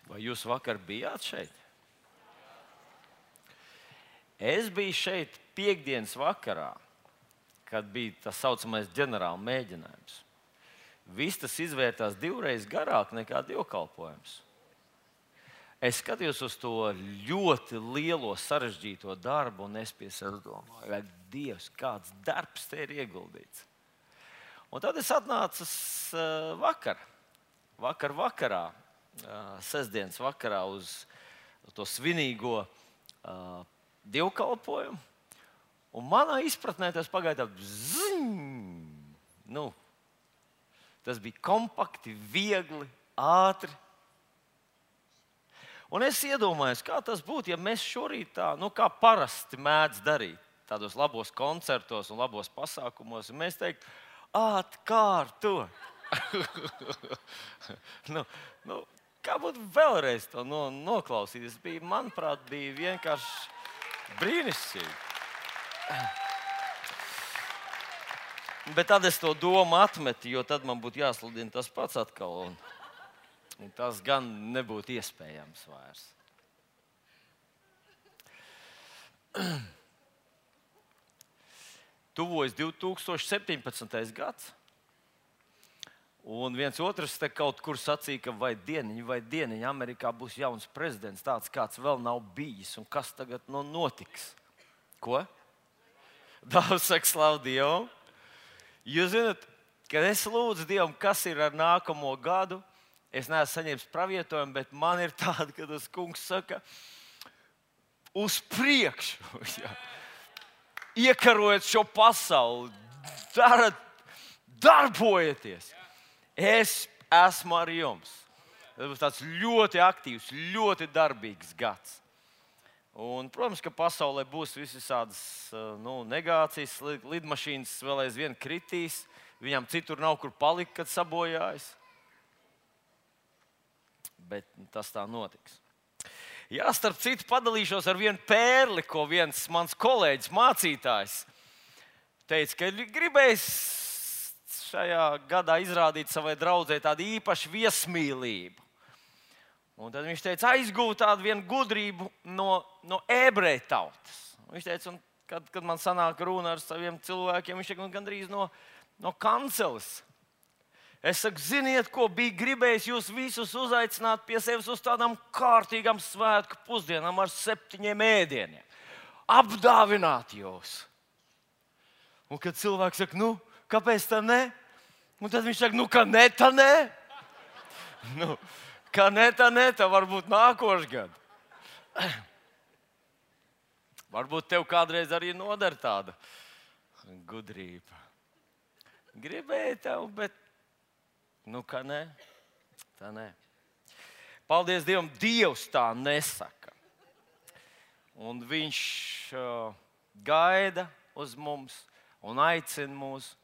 Vai jūs vakar bijāt šeit? Es biju šeit piektdienas vakarā, kad bija tas saucamais ģenerāla mēģinājums. Viss tas izvērtās divreiz garāk nekā dievkalpojums. Es skatījos uz to ļoti lielo sarežģīto darbu, un es pie sevis domāju, vai Dievs, kāds darbs te ir ieguldīts. Un tad es atnācu vakarā, sestdienas vakarā uz to svinīgo dievkalpojumu. Un manā izpratnē tas pagāja tā, tas bija kompakti, viegli, ātri. Un es iedomājos, kā tas būtu, ja mēs šorīt tā, kā parasti mēdz darīt, tādos labos koncertos un labos pasākumos, un mēs teiktu, atkārtot. Kā būtu vēlreiz to noklausīties? Manuprāt, bija vienkārši brīnišķīgi. Bet tad es to domu atmetu, jo tad man būtu jāsludina tas pats atkal. Un tas gan nebūtu iespējams vairs. Tuvojas 2017. gads. Un viens otrs te kaut kur sacīja, ka vai dieniņ Amerikā būs jauns prezidents, tāds kāds vēl nav bijis. Un kas tagad notiks? Ko? Daudz saka, slavu Dievam. Jūs zināt, kad es lūdzu Dievam, kas ir ar nākamo gadu, es neesmu saņēmis pravietojumu, bet man ir tāda, kad tas kungs saka, uz priekšu, iekarojiet šo pasauli, darbojieties. Es esmu ar jums. Tas būs tāds ļoti aktīvs, ļoti darbīgs gads. Un, protams, ka pasaulē būs visādas negācijas, lidmašīnas vēl aizvien kritīs, viņam citur nav kur palikt, kad sabojājas. Bet tas tā notiks. Jā, starp citu, padalīšos ar vienu pērli, ko viens mans kolēģis, mācītājs, teica, ka gribējis šajā gadā izrādīt savai draudzei tādu īpašu viesmīlību. Un tad viņš teica, aizgūt tādu vienu gudrību no ebreju tautas. Viņš teica, un kad man sanāk runa ar saviem cilvēkiem, viņš teica, gandrīz no kanceles. Es saku, ziniet, ko bija gribējis jūs visus uzaicināt pie sevis uz tādām kārtīgām svētku pusdienām ar 7 ēdieniem. Apdāvināt jūs. Un kad cilvēks saka, kāpēc tā ne? Un tad viņš saka, ka ne, tā ne. Ka ne, tā varbūt nākošais gads. Varbūt tev kādreiz arī noder tāda gudrība. Gribēju tev, bet ka ne, tā ne. Paldies Dievam, Dievs tā nesaka. Un viņš gaida uz mums un aicina mūs.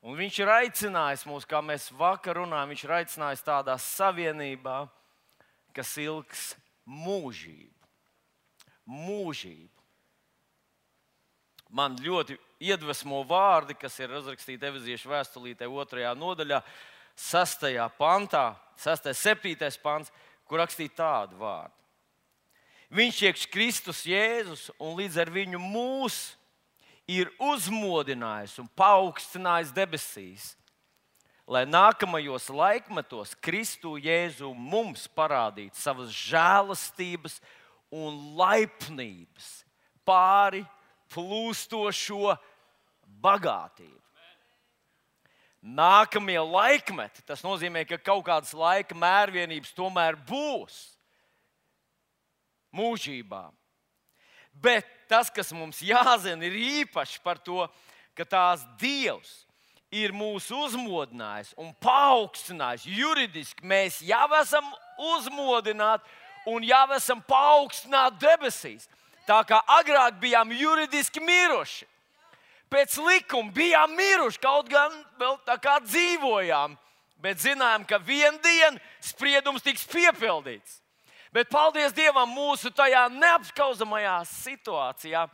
Un viņš ir aicinājis mūs, kā mēs vakar runājam, viņš ir aicinājis tādā savienībā, kas ilgs mūžību. Mūžību. Man ļoti iedvesmo vārdi, kas ir uzrakstīti Efeziešu vēstulītē 2. nodaļā, 6. pantā, 6. 7. pants, kur rakstīja tādu vārdu. Viņš iekš Kristus Jēzus un līdz ar viņu mūs ir uzmodinājis un paaugstinājis debesīs, lai nākamajos laikmetos Kristu Jēzu mums parādītu savas žēlastības un laipnības pāri plūstošo bagātību. Nākamie laikmeti, tas nozīmē, ka kaut kādas laika mērvienības tomēr būs mūžībā. Bet tas, kas mums jāzina, ir īpaši par to, ka tās Dievs ir mūs uzmodinājis un paaugstinājis. Juridiski mēs jau esam uzmodināti un jau esam paaugstināti debesīs. Tā kā agrāk bijām juridiski miruši. Pēc likuma bijām miruši, kaut gan vēl tā kā dzīvojām, bet zinājām, ka vienu dienu spriedums tiks piepildīts. Bet paldies Dievam, mūsu tajā neapskauzamajā situācijā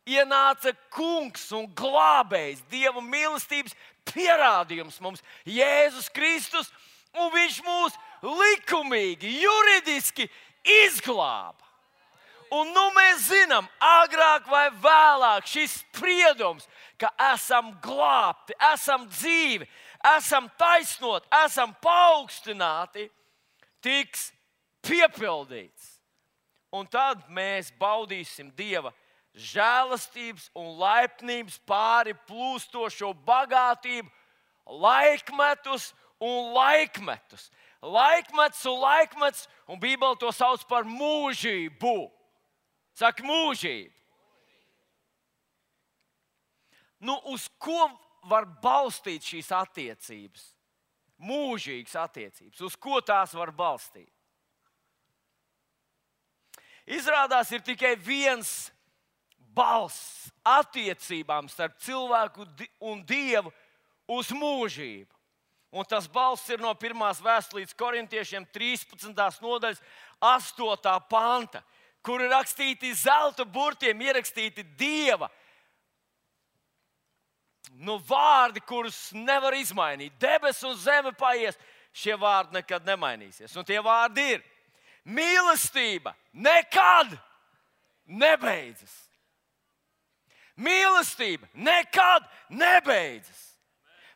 ienāca kungs un glābējs, Dieva mīlestības pierādījums mums, Jēzus Kristus, un viņš mūs likumīgi, juridiski izglāba. Un mēs zinām, agrāk vai vēlāk šis spriedums, ka esam glābti, esam dzīvi, esam taisnoti, esam paaugstināti, tiks piepildīts. Un tad mēs baudīsim Dieva žēlastības un laipnības pāri plūstošo bagātību laikmetus un laikmetus. Laikmets un laikmets, un Bībele to sauc par mūžību. Saka, mūžību. Uz ko var balstīt šīs attiecības? Mūžīgas attiecības. Uz ko tās var balstīt? Izrādās, ir tikai viens balsts attiecībām starp cilvēku un Dievu uz mūžību. Un tas balsts ir no 1. vēstules korintiešiem 13. nodaļas 8. panta, kur ir rakstīti zelta burtiem, ierakstīti Dieva vārdi, kurus nevar izmainīt. Debesis un zeme paies, šie vārdi nekad nemainīsies. Un tie vārdi ir: mīlestība nekad nebeidzas. Mīlestība nekad nebeidzas.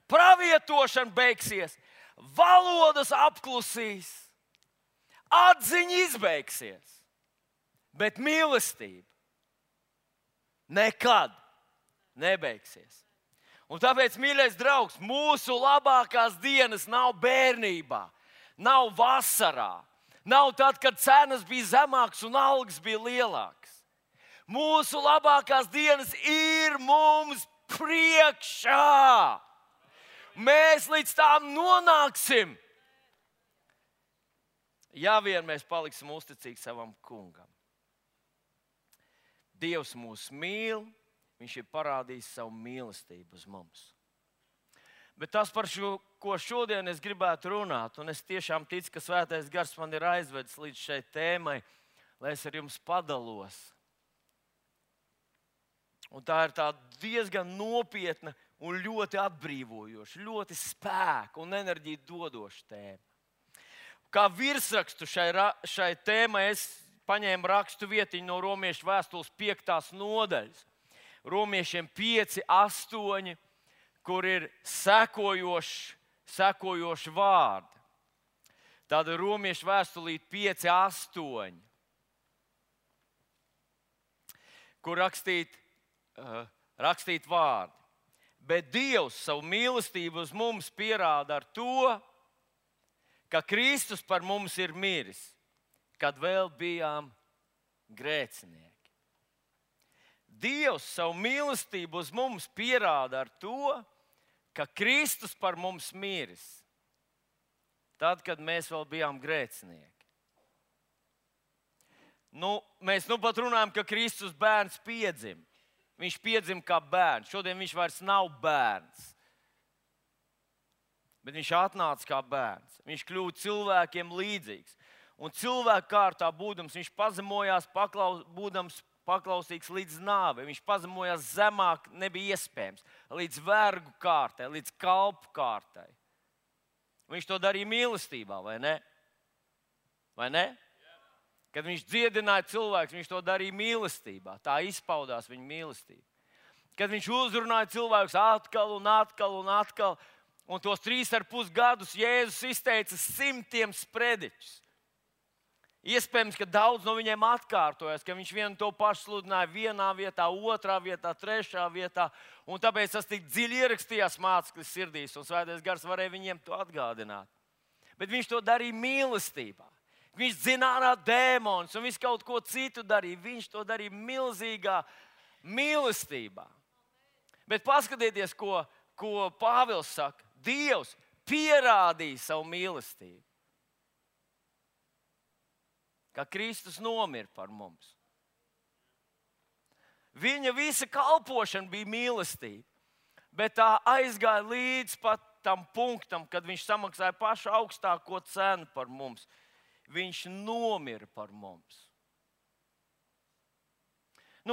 Pravietošana beigsies, valodas apklusīs, atziņa izbeigsies, bet mīlestība nekad nebeigsies. Un tāpēc, mīļais draugs, mūsu labākās dienas nav bērnībā, nav vasarā, nav tad, kad cenas bija zemākas un algas bija lielākas. Mūsu labākās dienas ir mums priekšā. Mēs līdz tām nonāksim, ja vien mēs paliksim uzticīgi savam kungam. Dievs mūs mīl, viņš ir parādījis savu mīlestību uz mums. Bet tas, par ko šodien es gribētu runāt, un es tiešām ticu, ka Svētais Gars man ir aizvedis līdz šai tēmai, lai es ar jums padalos. Un tā ir tā diezgan nopietna un ļoti atbrīvojoša, ļoti spēku un enerģiju dodoša tēma. Kā virsrakstu šai tēmai es paņēmu rakstu vietiņu no Romiešu vēstules 5. nodaļas. Romiešiem 5, 8, kur ir sekojoši vārdi. Tāda Romiešu vēstulīte 5, 8, kur rakstīt vārdi. Bet Dievs savu mīlestību uz mums pierāda ar to, ka Kristus par mums ir miris, kad vēl bijām grēcinieki. Dievs savu mīlestību uz mums pierāda ar to, ka Kristus par mums miris, tad, kad mēs vēl bijām grēcinieki. Mēs pat runājam, ka Kristus bērns piedzima. Viņš piedzima kā bērns. Šodien viņš vairs nav bērns. Bet viņš atnāca kā bērns. Viņš kļuva cilvēkiem līdzīgs. Un cilvēku kārtā būdams, viņš pazemojās, būdams paklausīgs līdz nāvei. Viņš pazemojās zemāk, nebija iespējams. Līdz vergu kārtai, līdz kalpu kārtai. Viņš to darīja mīlestībā, vai ne? Vai ne? Kad viņš dziedināja cilvēkus, viņš to darīja mīlestībā. Tā izpaudās viņa mīlestība. Kad viņš uzrunāja cilvēkus atkal un atkal un atkal, un tos 3,5 gadus Jēzus izteica 100 sprediķus. Iespējams, ka daudz no viņiem atkārtojas, ka viņš vienu to pašu sludināja vienā vietā, otrā vietā, trešā vietā, un tāpēc tas tik dziļi ierakstījās mācekļu sirdīs, un Svētais Gars varēja viņiem to atgādināt. Bet viņš to darīja mīlestībā. Viņš dzināja dēmonus un visu kaut ko citu darīja. Viņš to darīja milzīgā mīlestībā. Bet paskatieties, ko Pāvils saka. Dievs pierādīja savu mīlestību. Ka Kristus nomira par mums. Viņa visa kalpošana bija mīlestība. Bet tā aizgāja līdz pat tam punktam, kad viņš samaksāja pašu augstāko cenu par mums. Viņš nomira par mums.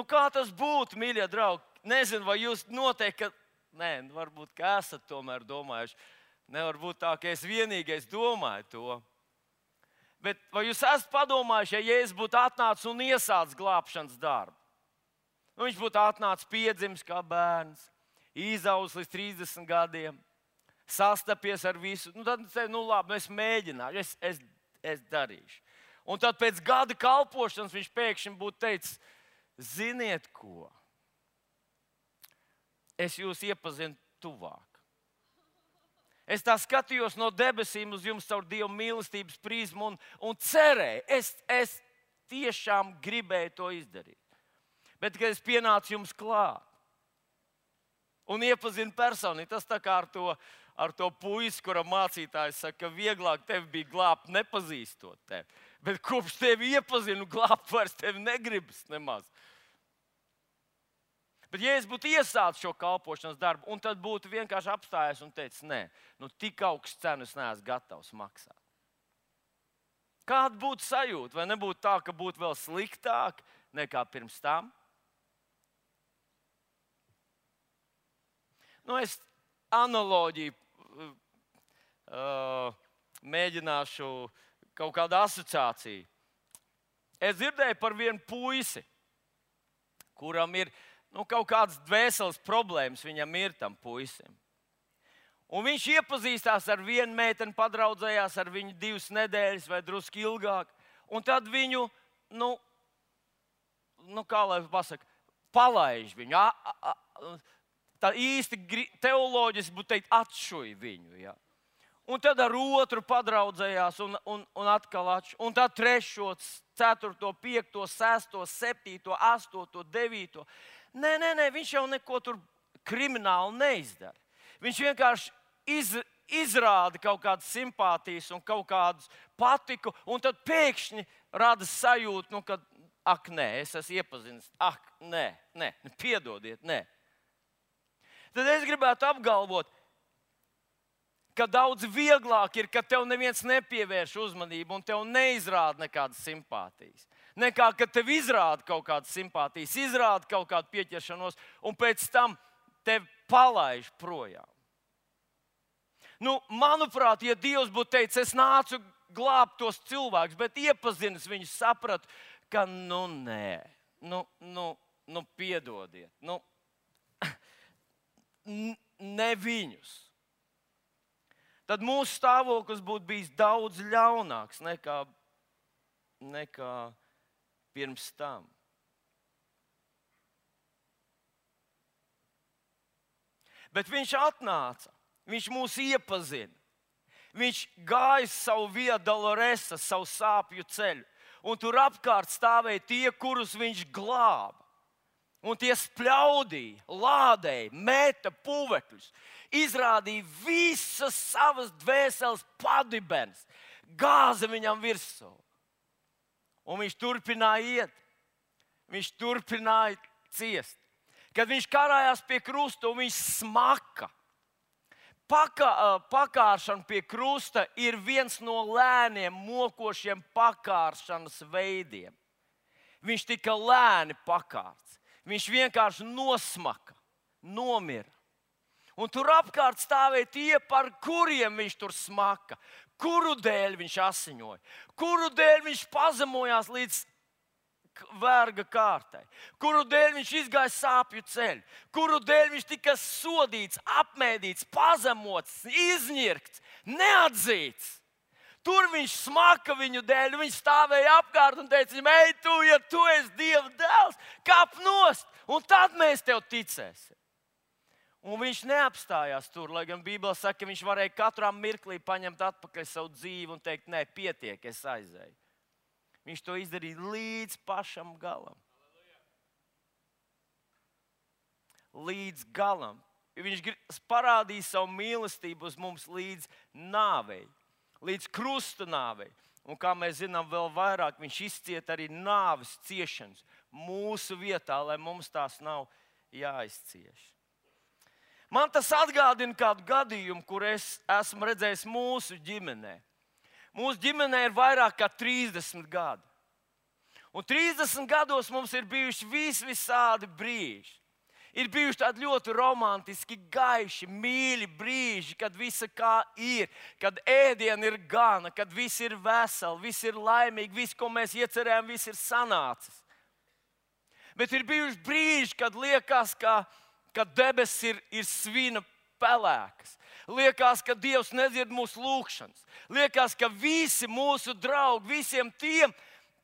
Kā tas būtu, mīļie draugi? Nezinu, vai jūs noteikti, varbūt, ka esat tomēr domājuši. Nevar būt tā, ka es vienīgais domāju to. Bet vai jūs esat padomājuši, ja Jēzus būtu atnācis un iesācis glābšanas darbu? Nu, viņš būtu atnācis piedzimis kā bērns, izaudzis līdz 30 gadiem, sastapies ar visu. Nu, tad viņš teica, nu labi, es mēģināšu, es darīšu. Un tad pēc gada kalpošanas viņš pēkšņi būtu teicis, ziniet ko? Es jūs iepazinu tuvāk. Es tā skatījos no debesīm uz jums caur Dieva mīlestības prizmu un cerēju. Es tiešām gribēju to izdarīt. Bet, kad es pienācu jums klāt un iepazinu personīgi, tas tā kā ar to puisi, kuram mācītājs saka, ka vieglāk tevi bija glābt, nepazīstot tevi. Bet kopš tevi iepazinu, glābt vairs tevi negribas nemaz. Bet, ja es būtu iesācis šo kalpošanas darbu, un tad būtu vienkārši apstājies un teicis, nē, nu tik augstu cenu es neesmu gatavs maksāt. Kāda būtu sajūta? Vai nebūtu tā, ka būtu vēl sliktāk nekā pirms tam? Nu, es analoģiju mēģināšu kaut kādu asociāciju. Es dzirdēju par vienu puisi, kuram ir kaut kādas dvēseles problēmas, viņam ir tam puisim. Un viņš iepazīstās ar vienu meiteni, padraudzējās ar viņu 2 nedēļas vai drusku ilgāk. Un tad viņu, kā lai pasaka, palaiž viņu. Tā īsti teoloģiski būtu teikt, atšuja viņu. Ja. Un tad ar otru padraudzējās un atkal atšuja. Un tad 3., 4., 5., 6., 7., 8., 9. Nē, viņš jau neko tur krimināli neizdara. Viņš vienkārši izrāda kaut kādas simpātijas un kaut kādu patiku, un tad pēkšņi rada sajūtu, ka, ak, nē, es esmu iepazinis, ak, nē, piedodiet, nē. Tad es gribētu apgalvot, ka daudz vieglāk ir, ka tev neviens nepievērš uzmanību un tev neizrāda nekādas simpātijas. Nekā, ka tev izrāda kaut kādas simpātijas, izrāda kaut kādu pieķeršanos un pēc tam tevi palaiž projām. Manuprāt, ja Dievs būtu teicis, es nācu glābt tos cilvēkus, bet iepazinis viņus, sapratu, ka nē, piedodiet, ne viņus. Tad mūsu stāvoklis būtu bijis daudz ļaunāks nekā pirms tam. Bet viņš atnāca, viņš mūs iepazina. Viņš gāja savu Via Dolorosa, savu sāpju ceļu. Un tur apkārt stāvēja tie, kurus viņš glāba. Un tie spļaudīja, lādēja, meta puvekļus, izrādīja visas savas dvēseles padibenes, gāza viņam virsū. Un viņš turpināja iet, viņš turpināja ciest. Kad viņš karājās pie krusta un viņš smaka, pakāršana pie krusta ir viens no lēniem, mokošiem pakāršanas veidiem. Viņš tika lēni pakārts. Viņš vienkārši nosmaka, nomira. Un tur apkārt stāvēja tie, par kuriem viņš tur smaka, kuru dēļ viņš asiņoja, kuru dēļ viņš pazemojās līdz verga kārtai, kuru dēļ viņš izgāja sāpju ceļu, kuru dēļ viņš tika sodīts, apmēdīts, pazemots, izņirkts, neatzīts. Tur viņš smaka viņu dēļ, viņš stāvēja apkārt un teica, ej, ja tu esi Dieva dēls, kāp nost, un tad mēs tev ticēsim. Un viņš neapstājās tur, lai gan Bībelē saka, ka viņš varēja katrā mirklī paņemt atpakaļ savu dzīvi un teikt, nē, pietiek, es aizēju. Viņš to izdarīja līdz pašam galam. Līdz galam. Viņš parādīja savu mīlestību uz mums līdz nāvei. Līdz krusta nāvei. Un kā mēs zinām, vēl vairāk viņš izcieta arī nāves ciešanas mūsu vietā, lai mums tās nav jāizcieš. Man tas atgādina kādu gadījumu, kur es esmu redzējis mūsu ģimenē. Mūsu ģimenē ir vairāk kā 30 gadi. Un 30 gados mums ir bijuši visādi brīži. Ir bijuši tādi ļoti romantiski, gaiši, mīļi brīži, kad visa kā ir, kad ēdiena ir gana, kad viss ir veseli, viss ir laimīgi, viss, ko mēs iecerējām, viss ir sanācis. Bet ir bijuši brīži, kad liekas, ka debesis ir svina pelēkas. Liekas, ka Dievs nedzird mūsu lūgšanas. Liekas, ka visi mūsu draugi, visiem tiem,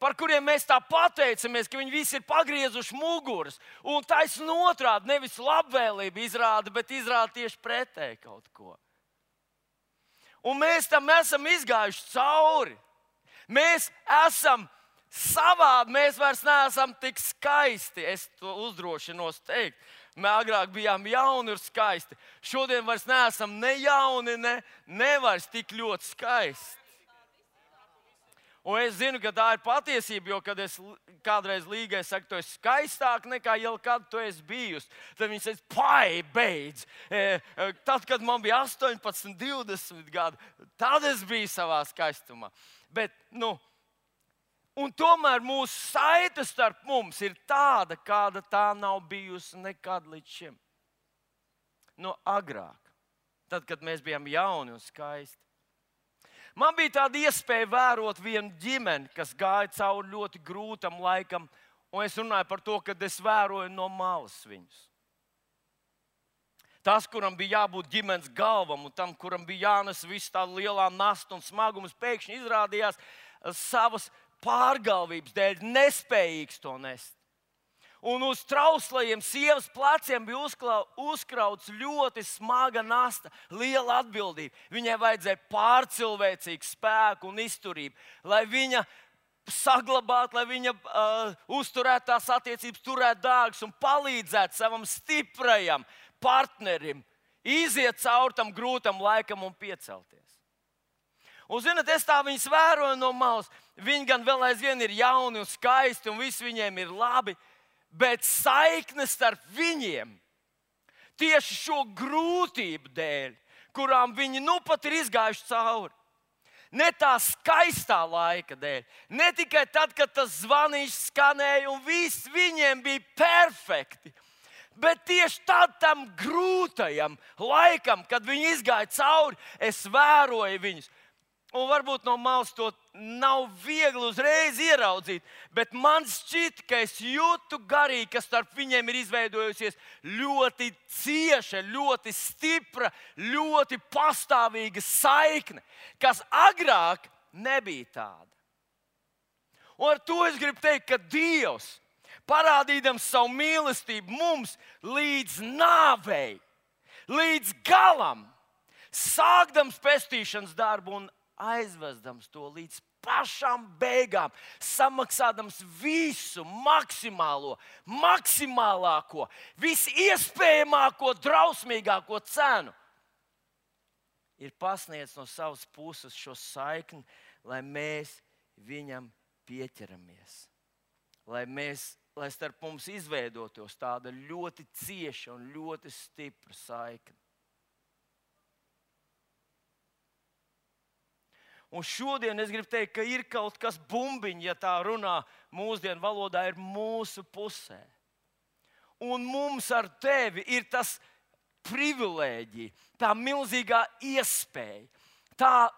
par kuriem mēs tā pateicamies, ka viņi visi ir pagriezuši muguras. Un taisnība otrādi, nevis labvēlība izrāda, bet izrāda tieši pretēji kaut ko. Un mēs tam esam izgājuši cauri. Mēs esam savādi, mēs vairs neesam tik skaisti. Es to uzdrošinos teikt. Mēs agrāk bijām jauni un skaisti. Šodien vairs neesam ne jauni, ne vairs tik ļoti skaisti. Un es zinu, ka tā ir patiesība, jo, kad es kādreiz Līgai saku, tu esi skaistāk nekā jau kad tu esi bijusi, tad viņi teica, beidz. Tad, kad man bija 18, 20 gadi, tad es biju savā skaistumā. Bet, un tomēr mūsu saite starp mums ir tāda, kāda tā nav bijusi nekad līdz šim. Agrāk, tad, kad mēs bijām jauni un skaisti. Man bija tāda iespēja vērot vienu ģimeni, kas gāja cauri ļoti grūtam laikam, un es runāju par to, ka es vēroju no malas viņus. Tas, kuram bija jābūt ģimenes galvam, un tam, kuram bija jānes visu tādu lielā nasta un smagums, pēkšņi izrādījās savas pārgalvības dēļ nespējīgs to nest. Un uz trauslajiem sievas pleciem bija uzkrauts ļoti smaga nasta, liela atbildība. Viņai vajadzēja pārcilvēcīgu spēku un izturību, lai viņa saglabātu, lai viņa uzturētu tās attiecības, turētu dārgus un palīdzētu savam stiprajam partnerim iziet cauri tam grūtam laikam un piecelties. Un, zināt, es tā viņus vēroju no malas. Viņi gan vēl aizvien ir jauni un skaisti un viss viņiem ir labi. Bet saikne starp viņiem tieši šo grūtību dēļ, kurām viņi pat ir izgājuši cauri. Ne tā skaistā laika dēļ, ne tikai tad, kad tas zvanīšs skanēja un viss viņiem bija perfekti. Bet tieši tam grūtajam laikam, kad viņi izgāja cauri, es vēroju viņus. Un varbūt no malas to nav viegli uzreiz ieraudzīt, bet man šķiet, ka es jūtu garīgi, ka starp viņiem ir izveidojusies ļoti cieša, ļoti stipra, ļoti pastāvīga saikne, kas agrāk nebija tāda. Un ar to es gribu teikt, ka Dievs, parādīdams savu mīlestību mums līdz nāvei, līdz galam, sākdams pestīšanas darbu un aizvedams to līdz pašām beigām, samaksādams visu maksimālāko, visiespējamāko, drausmīgāko cenu, ir pasniedzis no savas puses šo saikni, lai mēs viņam pieķeramies. Lai starp mums izveidotos tāda ļoti cieša un ļoti stipra saikne. Un šodien es gribu teikt, ka ir kaut kas bumbiņš, ja tā runā mūsdienu valodā, ir mūsu pusē. Un mums ar tevi ir tas privilēģija, tā milzīgā iespēja, tā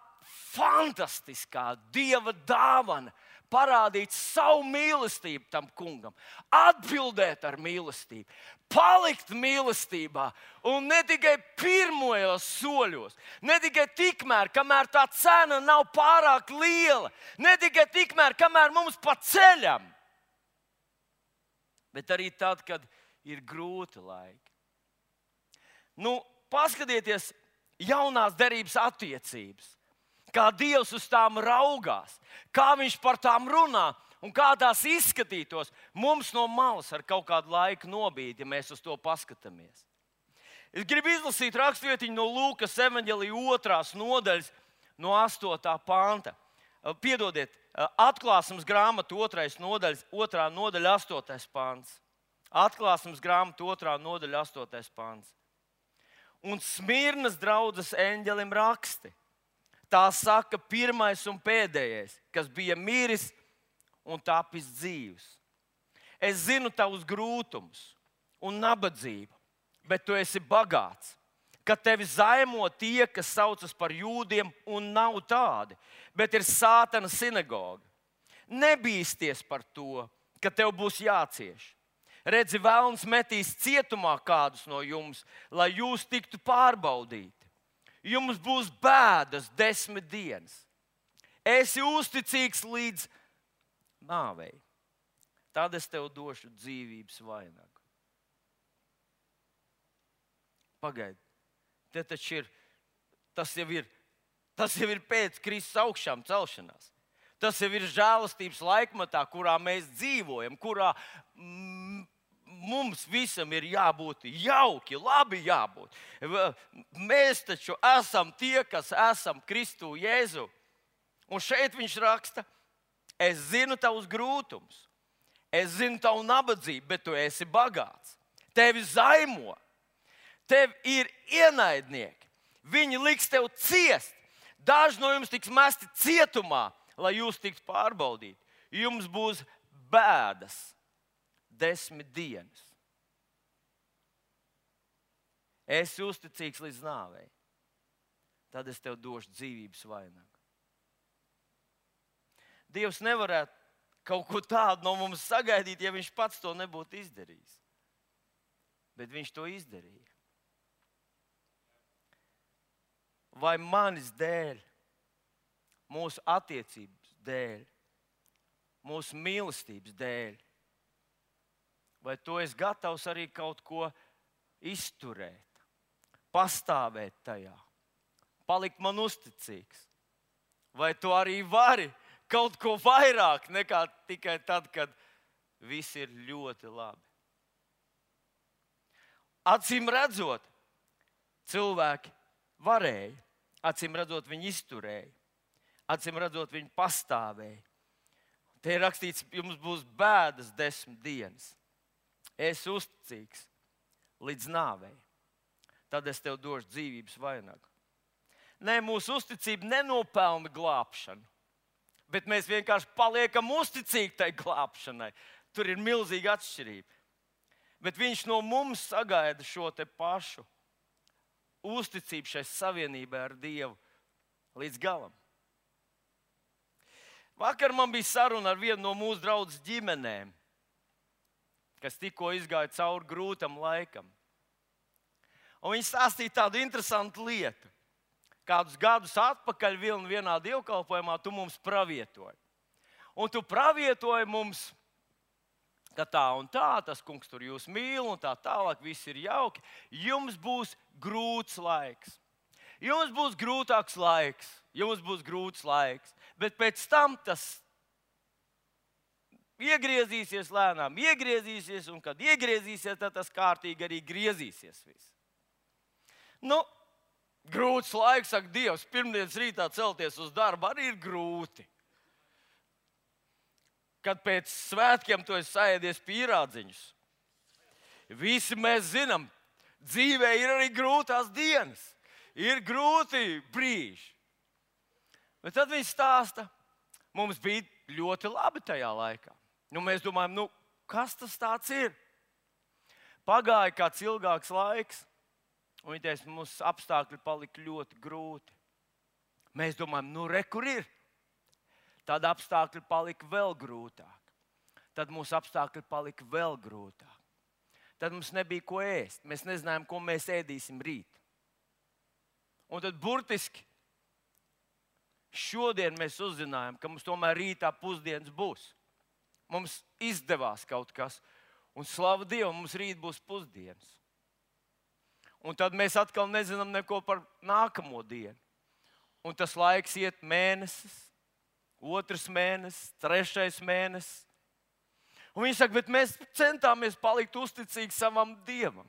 fantastiskā Dieva dāvana parādīt savu mīlestību tam kungam, atbildēt ar mīlestību, palikt mīlestībā un ne tikai pirmajos soļos, ne tikai tikmēr, kamēr tā cena nav pārāk liela, ne tikai tikmēr, kamēr mums pa ceļam, bet arī tad, kad ir grūti laiki. Paskatieties jaunās derības attiecības. Kā Dievs uz tām raugās, kā Viņš par tām runā un kā tās izskatītos mums no malas ar kaut kādu laiku nobīdi, ja mēs uz to paskatāmies. Es gribu izlasīt rakstvietiņu no Lūkas evaņģelija 2. nodaļas, no 8. panta. Piedodiet, Atklāsmes grāmata 2. nodaļa, 8. pants. Atklāsmes grāmata 2. nodaļa, 8. pants. Un Smirnas draudzes eņģelim raksti. Tā saka pirmais un pēdējais, kas bija miris un tapis dzīvs. Es zinu tavus grūtumus un nabadzību, bet tu esi bagāts. Kad tevi zaimo tie, kas saucas par jūdiem, un nav tādi, bet ir Sātana sinagoga. Nebīsties par to, ka tev būs jācieš. Redzi, velns metīs cietumā kādus no jums, lai jūs tiktu pārbaudīti. Jums būs bēdas 10 dienas. Esi uzticīgs līdz nāvei. Tad es tev došu dzīvības vainagu. Pagaidi. Tas jau ir pēc Kristus augšām celšanās. Tas jau ir žēlastības laikmatā, kurā mēs dzīvojam, kurā mums visam ir jābūt jauki, labi jābūt. Mēs taču esam tie, kas esam Kristu Jēzu. Un šeit viņš raksta, es zinu tavus grūtumus, es zinu tavu nabadzību, bet tu esi bagāts. Tevi zaimo. Tev ir ienaidnieki. Viņi liks tev ciest. Daži no jums tiks mesti cietumā, lai jūs tiktu pārbaudīti. Jums būs bēdas 10 dienas. Esi uzticīgs līdz nāvei. Tad es tev došu dzīvības vainagu. Dievs nevarētu kaut ko tādu no mums sagaidīt, ja viņš pats to nebūtu izdarījis. Bet viņš to izdarīja. Vai manis dēļ, mūsu attiecības dēļ, mūsu mīlestības dēļ, vai tu esi gatavs arī kaut ko izturēt, pastāvēt tajā, palikt man uzticīgs? Vai tu arī vari kaut ko vairāk nekā tikai tad, kad viss ir ļoti labi? Acīm redzot, cilvēki varēja. Acīm redzot, viņi izturēja. Acīm redzot, viņi pastāvēja. Te ir rakstīts, jums būs bēdas 10 dienas. Es uzticīgs līdz nāvei. Tad es tev došu dzīvības vainagu. Nē, mūsu uzticība nenopelna glābšanu, bet mēs vienkārši paliekam uzticīgi tai glābšanai. Tur ir milzīga atšķirība. Bet viņš no mums sagaida šo te pašu uzticību šai savienībai ar Dievu līdz galam. Vakar man bija saruna ar vienu no mūsu draudzes ģimenēm, kas tikko izgāja cauri grūtam laikam. Un viņi stāstīja tādu interesantu lietu. Kādus gadus atpakaļ vienā dievkalpojumā tu mums pravietoji. Un tu pravietoji mums, ka tā un tā, tas kungs tur jūs mīl un tā tālāk, viss ir jauki. Jums būs grūts laiks. Jums būs grūtāks laiks. Jums būs grūts laiks. Bet pēc tam tas iegriezīsies lēnām, un kad iegriezīsies, tad tas kārtīgi arī griezīsies viss. Grūts laiks, saka Dievs, pirmdienas rītā celties uz darbu arī ir grūti. Kad pēc svētkiem tu esi saēdies pīrādziņus. Visi mēs zinām, dzīvē ir arī grūtās dienas. Ir grūti brīži. Bet tad viņi stāsta, mums bija ļoti labi tajā laikā. Mēs domājam, kas tas tāds ir? Pagāja kāds ilgāks laiks, un viņi teica, mums apstākļi palika ļoti grūti. Mēs domājam, re, kur ir? Tad apstākļi palika vēl grūtāk. Tad mūsu apstākļi palika vēl grūtāk. Tad mums nebija ko ēst. Mēs nezinājām, ko mēs ēdīsim rīt. Un tad burtiski šodien mēs uzzinājām, ka mums tomēr rītā pusdienas būs. Mums izdevās kaut kas. Un slavu Dievam, mums rīt būs pusdienas. Un tad mēs atkal nezinām neko par nākamo dienu. Un tas laiks iet mēnesis. 2. mēnesis, 3. mēnesis. Un viņi saka, bet mēs centāmies palikt uzticīgi savam Dievam.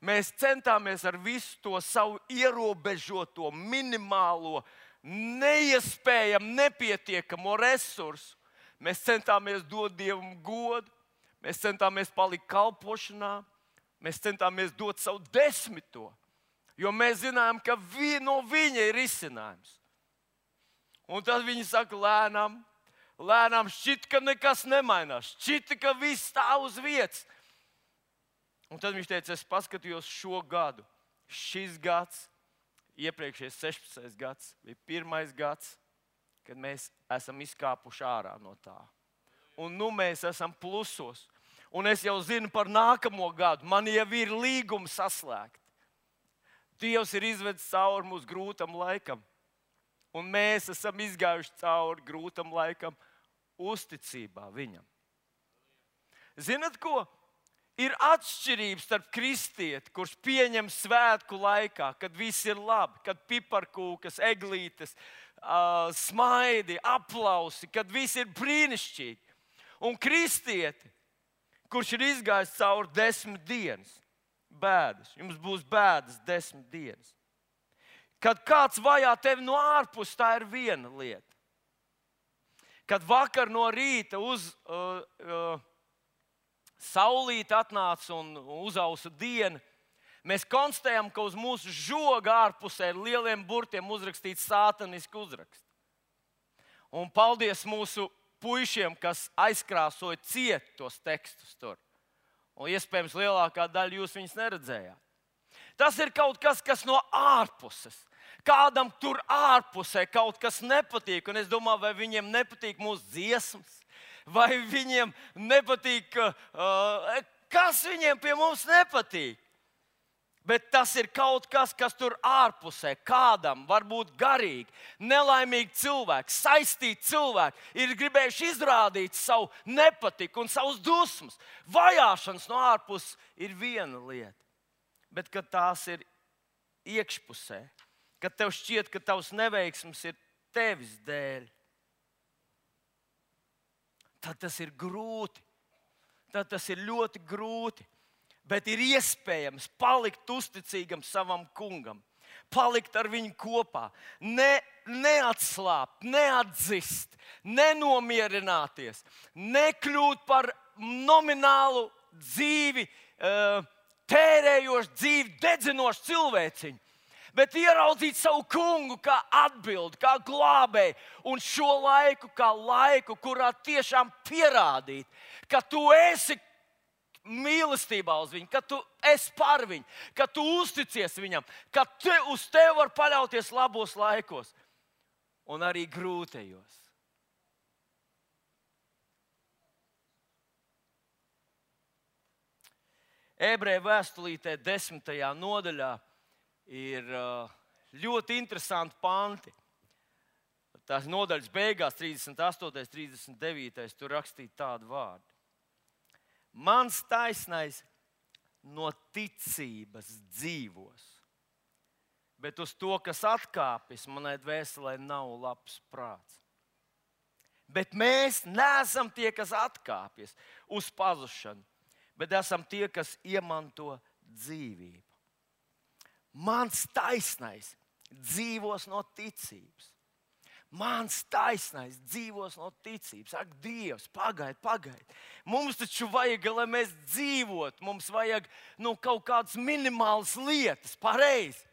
Mēs centāmies ar visu to savu ierobežoto, minimālo, neiespējamu, nepietiekamo resursu. Mēs centāmies dot Dievam godu, mēs centāmies palikt kalpošanā, mēs centāmies dot savu 10. Jo mēs zinājām, ka no viņa ir risinājums. Un tad viņi saka, lēnām šķita, ka nekas nemainās. Šķita, ka viss stāv uz vietas. Un tad viņš teica, es paskatījos šo gadu. Šis gads, iepriekšējais 16. gads, bija pirmais gads, kad mēs esam izkāpuši ārā no tā. Un nu mēs esam plusos. Un es jau zinu par nākamo gadu. Man jau ir līgumi saslēgti. Dievs ir izvedis cauri mūsu grūtam laikam. Un mēs esam izgājuši cauri grūtam laikam uzticībā viņam. Zinat ko? Ir atšķirības starp kristieti, kurš pieņem svētku laikā, kad viss ir labi, kad piparkūkas, eglītes, smaidi, aplausi, kad viss ir brīnišķīgi. Un kristieti, kurš ir izgājis cauri 10 dienas bēdas, jums būs bēdas 10 dienas. Kad kāds vajā tevi no ārpus, tā ir viena lieta. Kad vakar no rīta saulīte atnāca un uzausa diena, mēs konstatējam, ka uz mūsu žoga ārpusē ir lieliem burtiem uzrakstīts sātaniski uzraksts. Un paldies mūsu puišiem, kas aizkrāsoja ciet tos tekstus tur. Un iespējams lielākā daļa jūs viņus neredzējāt. Tas ir kaut kas, kas no ārpuses. Kādam tur ārpusē kaut kas nepatīk. Un es domāju, vai viņiem nepatīk mūsu dziesmas, vai viņiem nepatīk, kas viņiem pie mums nepatīk. Bet tas ir kaut kas, kas tur ārpusē kādam var būt garīgi, nelaimīgi cilvēki, saistīti cilvēki, ir gribējuši izrādīt savu nepatiku un savus dusmas. Vajāšanas no ārpuses ir viena lieta. Bet kad tās ir iekšpusē, kad tev šķiet, ka tavs neveiksmes ir tevis dēļ, tad tas ir grūti. Tad tas ir ļoti grūti. Bet ir iespējams palikt uzticīgam savam kungam, palikt ar viņu kopā, neatslābt, neatzist, nenomierināties, nekļūt par nominālu dzīvi, tērējošu dzīvi, dedzinošu cilvēciņu, bet ieraudzīt savu kungu kā atbildi, kā glābēju, un šo laiku kā laiku, kurā tiešām pierādīt, ka tu esi mīlestībā uz viņu, ka tu esi par viņu, ka tu uzticies viņam, ka uz tevi var paļauties labos laikos un arī grūtajos. Ebreju vēstulītē 10. nodaļā ir ļoti interesanti panti. Tās nodaļas beigās, 38. 39. tur rakstīja tādu vārdu. Mans taisnais no ticības dzīvos, bet uz to, kas atkāpjas, manai dvēselē nav labs prāts. Bet mēs neesam tie, kas atkāpjas uz pazušanu, bet esam tie, kas iemanto dzīvību. Mans taisnais dzīvos no ticības. Mans taisnais dzīvos no ticības. Ak, Dievs, pagaid. Mums taču vajag, lai mēs dzīvotu. Mums vajag kaut kādas minimālas lietas, pareizi.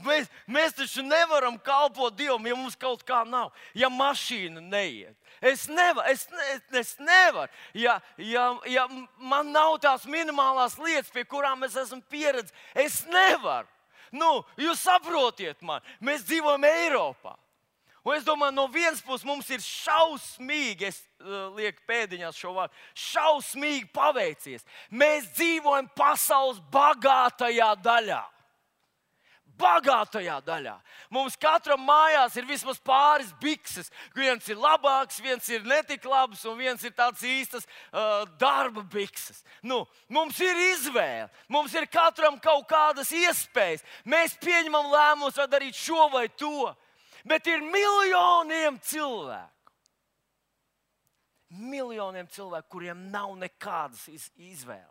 Mēs taču nevaram kalpot Dievam, ja mums kaut kā nav. Ja mašīna neiet. Es nevaru. Ja man nav tās minimālās lietas, pie kurām es esmu pieredzējis, es nevaru. Jūs saprotiet man, mēs dzīvojam Eiropā. Un es domāju, no vienas puses mums ir šausmīgi, es lieku pēdiņās šo vārdu, šausmīgi paveicies. Mēs dzīvojam pasaules bagātajā daļā. Bagātajā daļā. Mums katram mājās ir vismaz pāris bikses. Viens ir labāks, viens ir netik labs, un viens ir tāds īstas darba bikses. Mums ir izvēle. Mums ir katram kaut kādas iespējas. Mēs pieņemam lēmumus, vai darīt šo vai to. Bet ir miljoniem cilvēku. Miljoniem cilvēku, kuriem nav nekādas izvēles.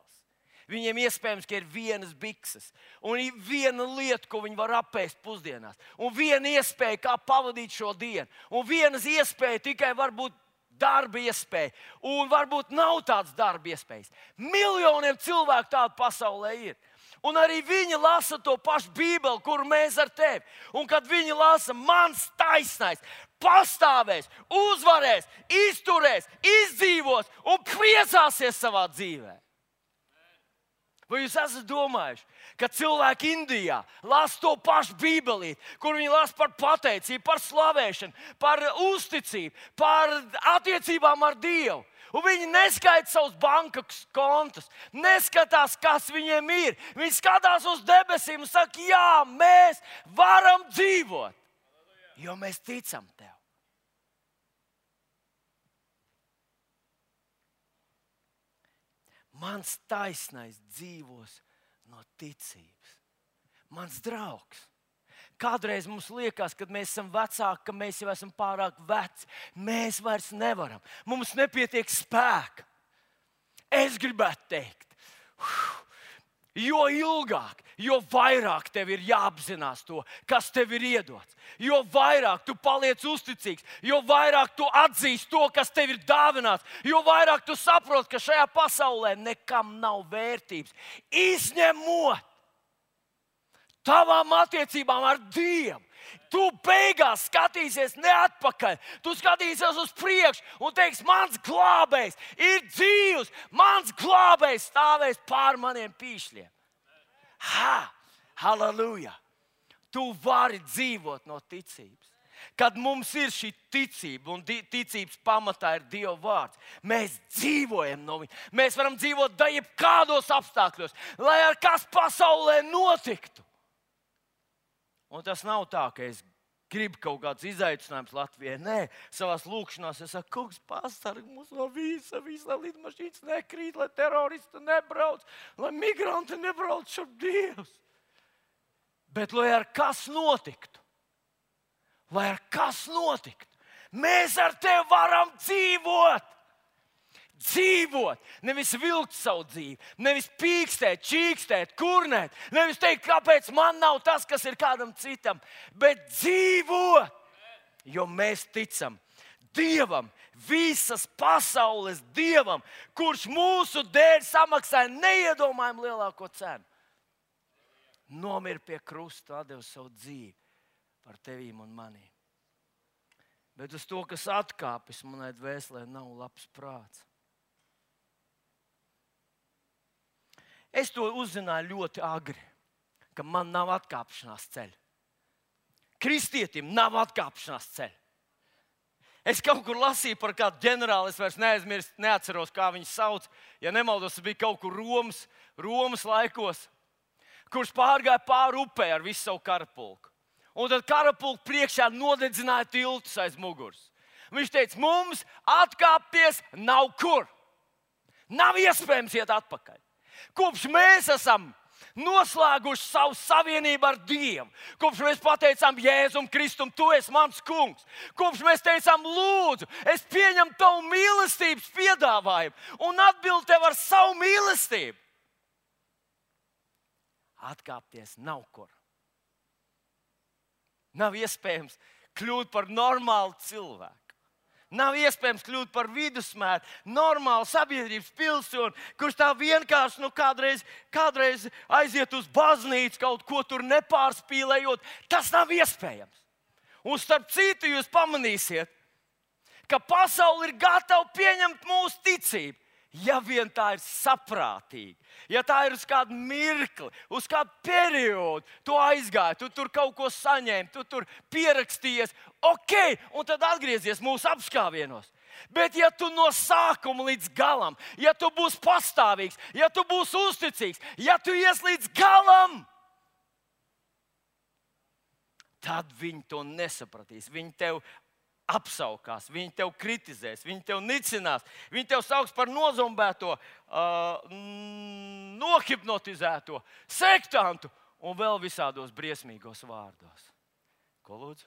Viņiem iespējams, ka ir vienas bikses un viena lieta, ko viņi var apēst pusdienās. Un viena iespēja, kā pavadīt šo dienu. Un vienas iespēja tikai varbūt darba iespēja. Un varbūt nav tāds darba iespējas. Miljoniem cilvēku tādu pasaulē ir. Un arī viņi lasa to pašu Bībeli, kuru mēs ar tevi. Un kad viņi lasa, mans taisnais pastāvēs, uzvarēs, izturēs, izdzīvos un priecāsies savā dzīvē. Vai jūs esat domājuši, ka cilvēki Indijā lasa to pašu Bībelīti, kur viņi lasa par pateicību, par slavēšanu, par uzticību, par attiecībām ar Dievu? Un viņi neskaita savus bankas kontus, neskatās, kas viņiem ir. Viņi skatās uz debesīm un saka, jā, mēs varam dzīvot, jo mēs ticam tev. Mans taisnais dzīvos no ticības. Mans draugs. Kādreiz mums liekas, kad mēs esam vecāki, ka mēs jau esam pārāk veci. Mēs vairs nevaram. Mums nepietiek spēka. Es gribētu teikt, jo ilgāk, jo vairāk tev ir jāapzinās to, kas tev ir iedots. Jo vairāk tu paliec uzticīgs, jo vairāk tu atzīsti to, kas tev ir dāvināts, jo vairāk tu saproti, ka šajā pasaulē nekam nav vērtības. Izņemot tavām attiecībām ar Dievu. Tu beigās skatīsies ne atpakaļ, tu skatīsies uz priekšu un teiksi, mans glābējs ir dzīvs, mans glābējs stāvēs pār maniem pīšļiem. Halleluja! Tu vari dzīvot no ticības. Kad mums ir šī ticība un ticības pamatā ir Dieva vārds, mēs dzīvojam no viņa. Mēs varam dzīvot jebkādos apstākļos, lai ar kas pasaulē notiktu. Un tas nav tā, ka es gribu kaut kādus izaicinājumus Latvijai. Nē, savās lūkšanās es saku, kungs, pasargi mūs no visa, lai lidmašīnas nekrīt, lai teroristi nebrauc, lai migranti nebrauc šur Dievs. Bet lai ar kas notiktu, mēs ar tevi varam dzīvot. Dzīvot, nevis vilkt savu dzīvi, nevis pīkstēt, čīkstēt, kurnēt, nevis teikt, kāpēc man nav tas, kas ir kādam citam, bet dzīvot, jo mēs ticam Dievam, visas pasaules Dievam, kurš mūsu dēļ samaksāja neiedomājami lielāko cenu. Nomira pie krusta, atdeva savu dzīvi par tevīm un manīm. Bet uz to, kas atkāpjas manai dvēselē, nav labs prāts. Es to uzzināju ļoti agri, ka man nav atkāpšanās ceļa. Kristietim nav atkāpšanās ceļa. Es kaut kur lasīju par kādu ģenerāli, es vairs neatceros, kā viņu sauc. Ja nemaldos, tas bija kaut kur Romas laikos, kurš pārgāja pāri upē ar visu savu karapulku. Un tad karapulku priekšā nodedzināja tiltus aiz muguras. Viņš teica, mums atkāpties nav kur. Nav iespējams iet atpakaļ. Kopš mēs esam noslēguši savu savienību ar Dievu, kopš mēs pateicām Jēzum Kristum, tu esi mans kungs, kopš mēs teicām, lūdzu, es pieņemu tavu mīlestības piedāvājumu un atbildu tev ar savu mīlestību. Atkāpties nav kur. Nav iespējams kļūt par normālu cilvēku. Nav iespējams kļūt par vidusmēru, normālu sabiedrības pilsoni, kurš tā vienkārši kādreiz aiziet uz baznīcu, kaut ko tur nepārspīlējot. Tas nav iespējams. Un starp citu jūs pamanīsiet, ka pasaule ir gatava pieņemt mūsu ticību. Ja vien tā ir saprātīga, ja tā ir uz kādu mirkli, uz kādu periodu, tu aizgāji, tu tur kaut ko saņēmi, tu tur pierakstījies, ok, un tad atgriezies mūsu apskāvienos. Bet ja tu no sākuma līdz galam, ja tu būsi pastāvīgs, ja tu būsi uzticīgs, ja tu ies līdz galam, tad viņi to nesapratīs. Viņi tev apsaukās, viņi tev kritizēs, viņi tev nicinās, viņi tev sauks par nozombēto, nohipnotizēto, sektantu un vēl visādos briesmīgos vārdos. Ko lūdzu?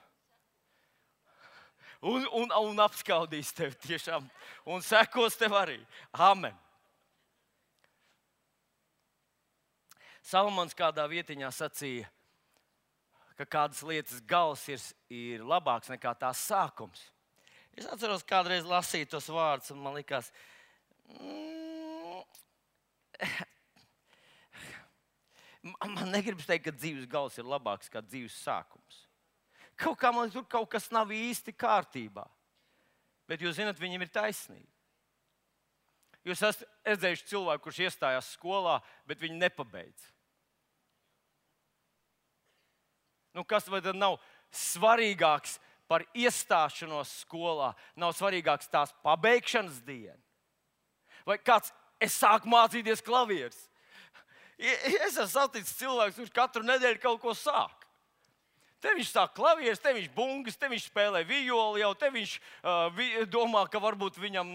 Un apskaudīs tevi tiešām un sekos tev arī. Amen. Salmons kādā vietiņā sacīja, ka kādas lietas gals ir labāks nekā tās sākums. Es atceros, kādreiz lasīju tos vārdus, un man likās, man negribas teikt, ka dzīves gals ir labāks kā dzīves sākums. Kaut kā man tur kaut kas nav īsti kārtībā. Bet jūs zināt, viņiem ir taisnība. Jūs esat redzējuši cilvēku, kurš iestājās skolā, bet viņi nepabeidz. Kas vai tad nav svarīgāks par iestāšanos skolā? Nav svarīgāks tās pabeigšanas diena? Vai kāds, es sāku mācīties klavierus. Es esmu saticis cilvēks, kurš katru nedēļu kaut ko sāk. Te viņš sāk klavierus, te viņš bungas, te viņš spēlē violi, jau te viņš domā, ka varbūt viņam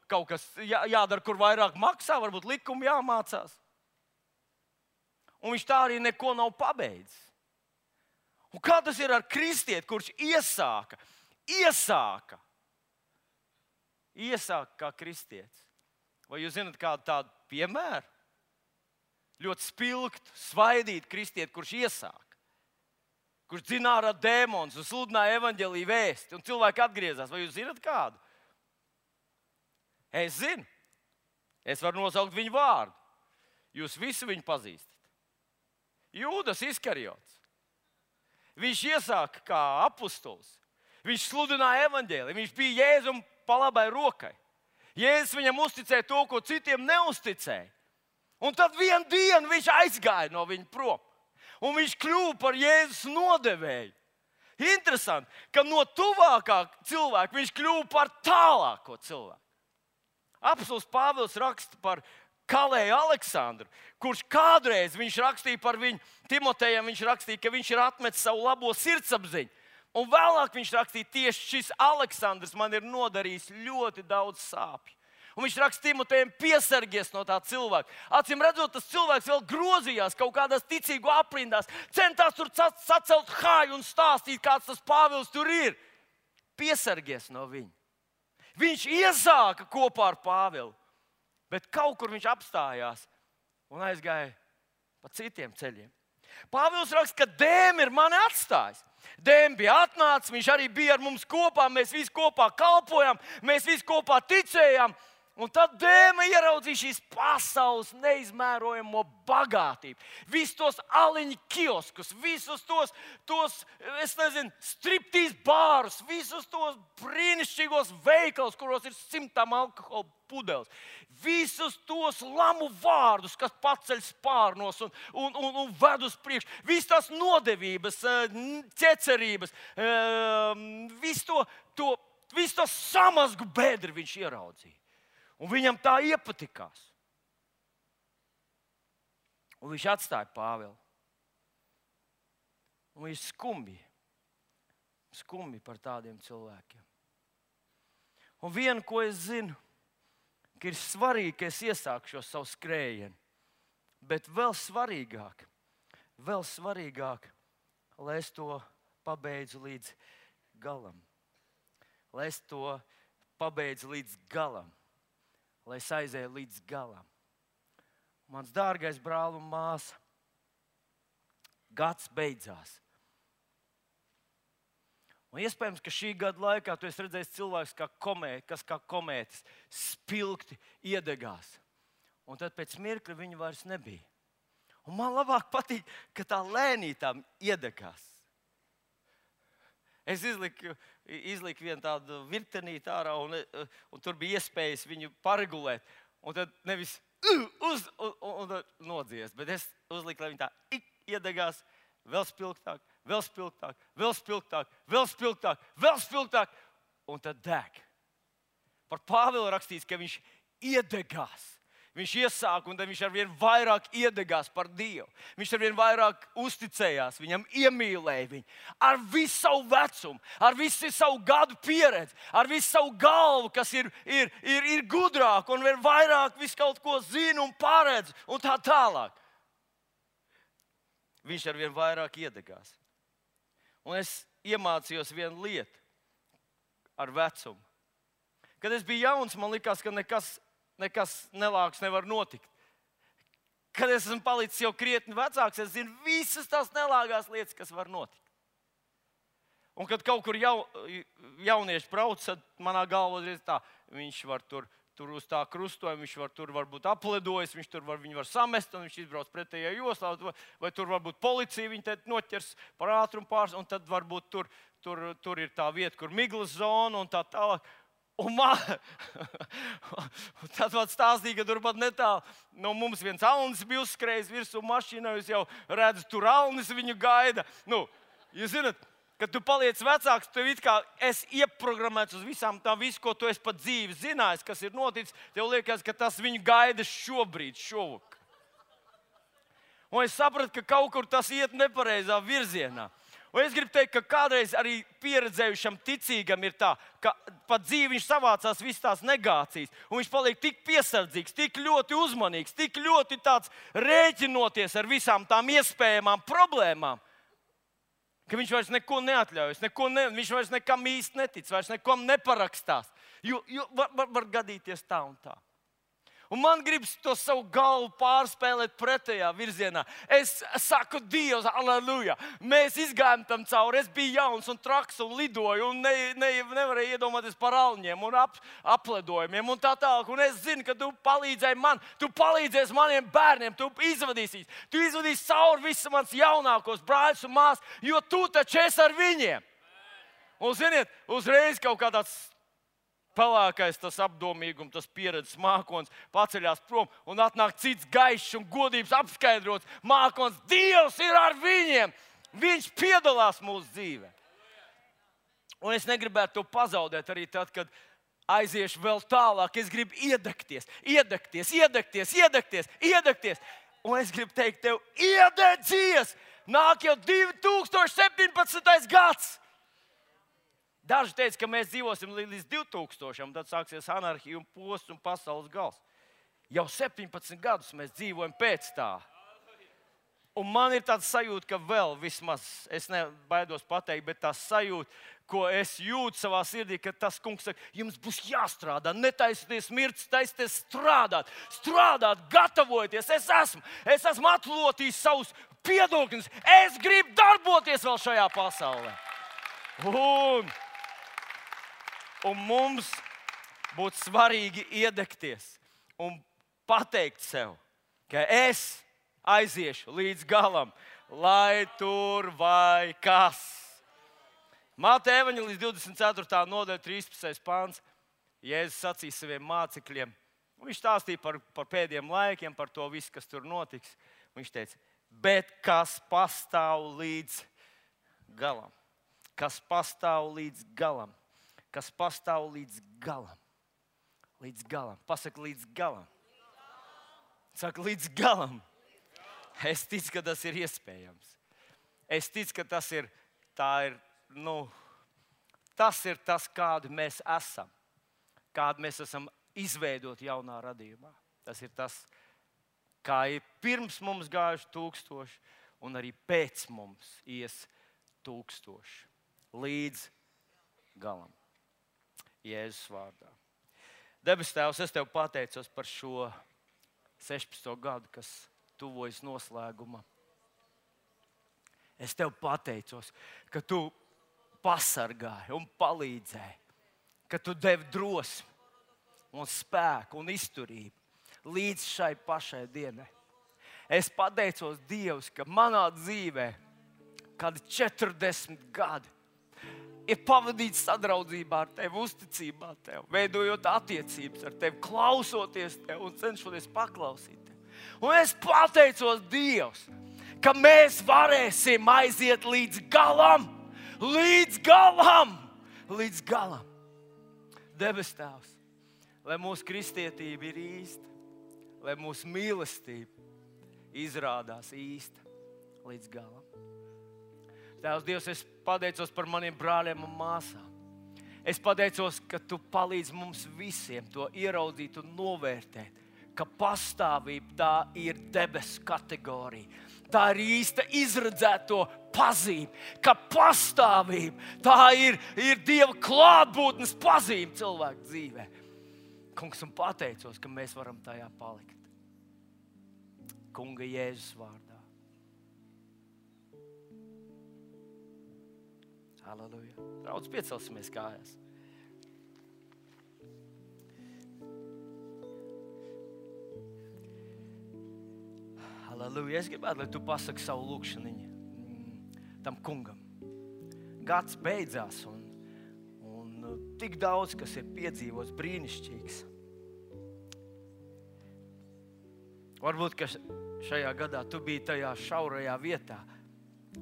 kaut kas jādara, kur vairāk maksā, varbūt likumi jāmācās. Un viņš tā arī neko nav pabeidzis. Un kā tas ir ar kristieti, kurš iesāka kā kristietis? Vai jūs zināt kādu tādu piemēru? Ļoti spilgtu, svaidītu kristieti, kurš iesāka, kurš dzina ārā dēmonus un sludināja evaņģēliju vēsti, un cilvēki atgriezās. Vai jūs zināt kādu? Es zinu. Es varu nosaukt viņu vārdu. Jūs visi viņu pazīstat. Jūdas Iskariots. Viņš iesāka kā apustulis. Viņš sludināja evaņģēliju. Viņš bija Jēzum pa labai rokai. Jēzus viņam uzticēja to, ko citiem neuzticēja. Un tad vienu dienu viņš aizgāja no viņa prom. Un viņš kļuva par Jēzus nodevēju. Interesanti, ka no tuvākā cilvēka viņš kļuva par tālāko cilvēku. Apostols Pāvils raksta par Kalēju Aleksandru, kurš kādreiz viņš rakstīja par viņu, Timotejam viņš rakstīja, ka viņš ir atmetis savu labo sirdsapziņu. Un vēlāk viņš rakstīja, tieši šis Aleksandrs man ir nodarījis ļoti daudz sāpju. Un viņš raksta Timotejam, piesargies no tā cilvēka. Acīm redzot, tas cilvēks vēl grozījās kaut kādās ticīgu aprindās, centās tur sacelt hāju un stāstīt, kāds tas Pāvils tur ir. Piesargies no viņa. Viņš iesāka kopā ar Pāvilu, bet kaut kur viņš apstājās un aizgāja pa citiem ceļiem. Pāvils raksta, ka Dēma ir mani atstājis. Dēma bija atnācis, viņš arī bija ar mums kopā, mēs visi kopā kalpojām, mēs visi kopā ticējām. Un tad Dēma ieraudzīja šīs pasaules neizmērojamo bagātību. Visus tos aliņu kioskus, visus tos striptīz bārus, visus tos brīnišķīgos veikalus, kuros ir 100 alkohola pudeles. Visus tos lamu vārdus, kas paceļ spārnos un ved uz priekšu. Visas tās nodevības, ķecerības, visu to samazgu bedri viņš ieraudzīja. Un viņam tā iepatikās. Un viņš atstāja Pāvilu. Un viņš skumji par tādiem cilvēkiem. Un vienu, ko es zinu, ka ir svarīgi, ka es iesāku šo savu skrējienu. Bet vēl svarīgāk, lai es to pabeidzu līdz galam. Lai es to pabeidzu līdz galam. Lai es aizēju līdz galam. Mans dārgais brāl un māsa, gads beidzās. Un iespējams, ka šī gada laikā tu esi redzējis cilvēks, kas kā komētis spilgti iedegās. Un tad pēc mirkļa viņa vairs nebija. Un man labāk patīk, ka tā lēnītām iedegās. Es izliku vienu tādu virtenīti ārā, un tur bija iespējas viņu paregulēt. Un tad nevis un nodzies, bet es uzliku, lai viņa tā iedegās vēl spilgtāk, vēl spilgtāk, vēl spilgtāk, vēl spilgtāk, vēl spilgtāk, un tad deg. Par Pāvilu rakstīts, ka viņš iedegās. Viņš iesāka, un tad viņš arvien vairāk iedegās par Dievu. Viņš arvien vairāk uzticējās viņam, iemīlēja viņu. Ar visu savu vecumu, ar visu savu gadu pieredzi, ar visu savu galvu, kas ir gudrāk un vairāk visu kaut ko zina un paredz un tā tālāk. Viņš arvien vairāk iedegās. Un es iemācījos vienu lietu ar vecumu. Kad es biju jauns, man likās, ka nekas nelāks nevar notikt. Kad es esmu palicis jau krietni vecāks, es zinu visas tās nelāgās lietas, kas var notikt. Un kad kaut kur jaunieši brauc, tad manā galvā ir tā, viņš var tur uz tā krustojuma, viņš var tur varbūt apledojis, viņu var samest, un viņš izbrauc pretējā joslā, vai tur varbūt policija viņu te noķers par ātrumu pārs, un tad varbūt tur ir tā vieta, kur miglas zona un tā tālāk. Un tad man stāstīja, ka turpat netālu no mums viens alnis bija uzskrējis virsū mašīnā. Jūs jau redzat, tur alnis viņu gaida. Jūs zināt, kad tu paliec vecāks, tev it kā esi ieprogrammēts uz visām tām, visu, ko tu esi pat dzīvi zinājis, kas ir noticis. Tev liekas, ka tas viņu gaida šobrīd, šovakar. Un es sapratu, ka kaut kur tas iet nepareizā virzienā. Un es gribu teikt, ka kādreiz arī pieredzējušam ticīgam ir tā, ka pat dzīvi viņš savācās visas tās negācijas. Un viņš paliek tik piesardzīgs, tik ļoti uzmanīgs, tik ļoti tāds rēķinoties ar visām tām iespējamām problēmām, ka viņš vairs neko neatļaujas, viņš vairs nekam īsti netic, vairs nekam neparakstās. Jo var gadīties tā un tā. Un man gribas to savu galvu pārspēlēt pretējā virzienā. Es saku, Dievs, aleluja! Mēs izgājām tam cauri. Es biju jauns un traks un lidoju un nevarēju iedomāties par alņiem un apledojumiem un tā tālāk. Un es zinu, ka tu palīdzēji man, tu palīdzēsi maniem bērniem, tu izvadīsi cauri visus mans jaunākos brāļus un māsas, jo tu taču esi ar viņiem. Un ziniet, uzreiz kaut kā tāds pelēkais, tas apdomīgums, tas pieredzes mākons paceļās prom un atnāk cits gaišs un godības apskaidrots mākons. Dievs ir ar viņiem! Viņš piedalās mūsu dzīvē. Un es negribētu to pazaudēt arī tad, kad aiziešu vēl tālāk. Es gribu iedegties. Un es gribu teikt tev, iededzies! Nāk jau 2017. gads! Daži teica, ka mēs dzīvosim līdz 2000, tad sāksies anarhija un posts un pasaules gals. Jau 17 gadus mēs dzīvojam pēc tā. Un man ir tāds sajūta, ka vēl vismaz, es nebaidos pateikt, bet tā sajūta, ko es jūtu savā sirdī, ka tas kungs saka, jums būs jāstrādā, netaisieties mirts, taisieties strādāt, gatavojieties. Es esmu atlotījis savus piedokļus, es gribu darboties vēl šajā pasaulē. Un mums būtu svarīgi iedegties un pateikt sev, ka es aiziešu līdz galam, lai tur vai kas. Mateja evaņģēlijas 24. nodaļa 13. pāns. Jēzus sacīja saviem mācekļiem. Viņš stāstīja par pēdējiem laikiem, par to visu, kas tur notiks. Viņš teica, bet kas pastāv līdz galam? Kas pastāv līdz galam? Kas pastāv līdz galam? Līdz galam. Pasaka līdz galam. Saka līdz galam. Es ticu, ka tas ir iespējams. Es ticu, ka tas ir tas, kādi mēs esam. Kādi mēs esam izveidoti jaunā radījumā. Tas ir tas, kā ir pirms mums gājuši 1000 un arī pēc mums ies 1000. Līdz galam. Jēzus vārdā. Debes Tēvs, es Tev pateicos par šo 16. gadu, kas tuvojas noslēgumam. Es Tev pateicos, ka Tu pasargāji un palīdzēji, ka Tu devi drosmi un spēku un izturību līdz šai pašai dienai. Es pateicos, Dievs, ka manā dzīvē kādi 40 gadi ir pavadīts sadraudzībā ar Tevi, uzticībā Tev, veidojot attiecības ar Tevi, klausoties Tev un cenšoties paklausīt Tev. Un es pateicos, Dievs, ka mēs varēsim aiziet līdz galam, līdz galam. Debes Tēvs, lai mūsu kristietība ir īsta, lai mūsu mīlestība izrādās īsta līdz galam. Tēvs, Dievs, es pateicos par maniem brāļiem un māsām. Es pateicos, ka Tu palīdz mums visiem to ieraudzīt un novērtēt, ka pastāvība tā ir debesu kategorija. Tā ir īsta izredzēto pazīme, ka pastāvība tā ir Dieva klātbūtnes pazīme cilvēku dzīvē. Kungs, un pateicos, ka mēs varam tajā palikt. Kunga Jēzus vārdā. Halleluja. Draudz, piecelsimies kājās. Halleluja. Es gribētu, lai tu pasaki savu lūkšaniņu tam kungam. Gads beidzās un tik daudz, kas ir piedzīvots brīnišķīgs. Varbūt, ka šajā gadā tu biji tajā šaurajā vietā.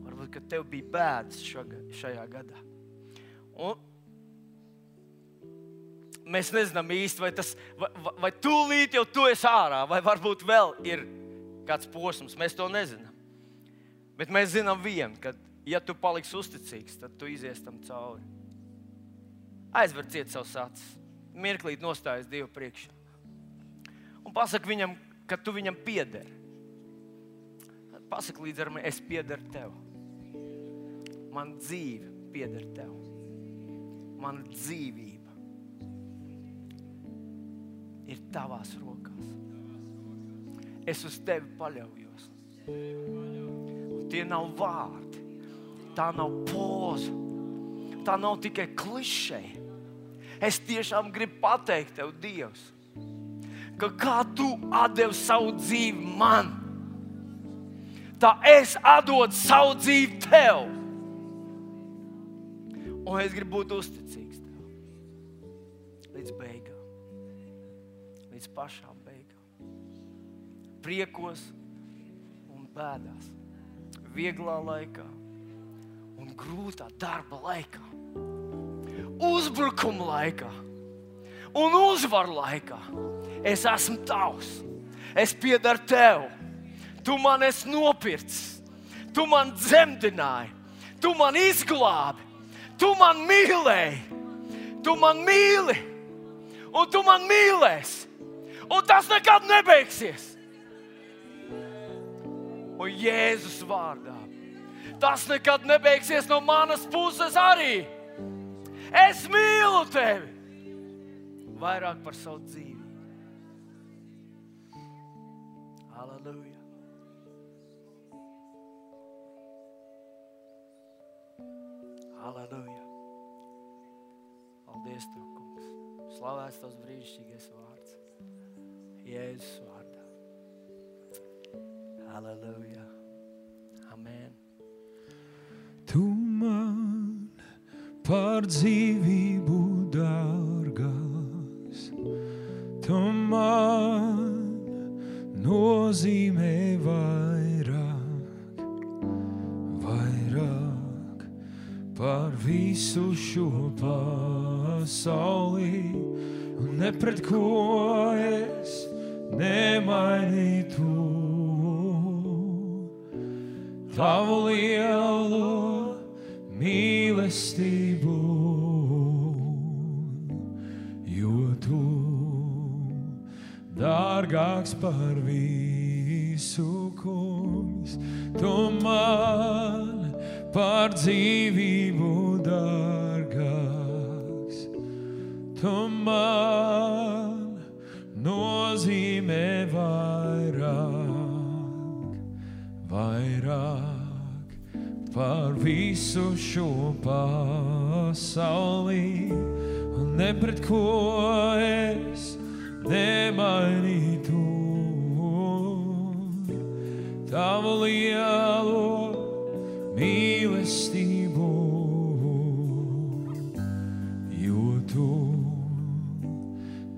Varbūt, ka tev bija bēdas šajā gadā. Un mēs nezinām īsti, vai tūlīt jau tu esi ārā, vai varbūt vēl ir kāds posms. Mēs to nezinām. Bet mēs zinām vienu, ka ja tu paliksi uzticīgs, tad tu izies tam cauri. Aizver ciet savus acis. Mirklīt nostājies Dievu priekšā. Un pasaki viņam, ka tu viņam piederi. Pasaki līdz ar mani, es piederu tev. Man dzīve pieder tev. Man dzīvība ir tavās rokās. Es uz tevi paļaujos. Un tie nav vārdi. Tā nav poza. Tā nav tikai klišeja. Es tiešām gribu pateikt tev, Dievs, ka kā tu atdevi savu dzīvi man, tā es atdodu savu dzīvi tev. Un es gribu būt uzticīgs tev. Līdz beigām. Līdz pašām beigām. Priekos un bēdās. Vieglā laikā un grūtā darba laikā. Uzbrukuma laikā un uzvaru laikā. Es esmu tavs. Es piedaru tev. Tu man esi nopircis. Tu man dzemdināji. Tu man izglābi. Tu man mīlēji. Tu man mīli. Un tu man mīlēsi. Un tas nekad nebeigsies. Un Jēzus vārdā. Tas nekad nebeigsies no manas puses arī. Es mīlu tevi vairāk par savu dzīvi. Halleluja. Halleluja. Paldies tev, kungs. Slavēts tavs brīnišķīgais vārds. Jēzus vārdā. Halleluja. Amen. Tu man par dzīvību dārgāks, tu man nozīmē vairāk par visu šo pasauli, un ne pret ko es nemainītu tavu lielo mīlestību, jo tu dārgāks par visu, kungs. Tu man par dzīvību dārgāks, tu man nozīmē vairāk par visu šo pasauli, un ne pret ko es nemainītu tavu lielo mīlestību, jo tu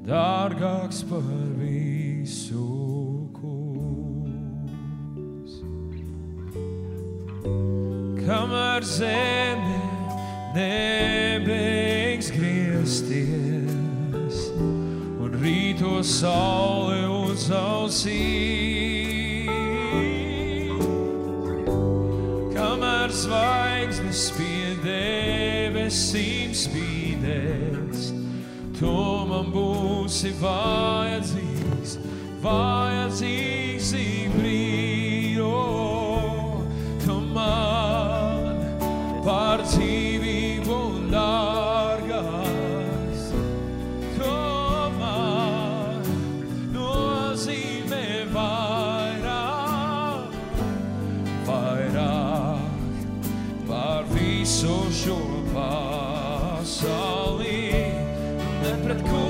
dārgāks par visu, kungs. Kamēr zeme nebeigs griezties un rīto saule uzausīs, kamēr zvaigznes pie debesīm spīdēs, tu man būsi vajadzīgs ik brīdi, tu man par dzīvību dārgāks, tu man nozīmē vairāk par visu šo pasauli, ne pret ko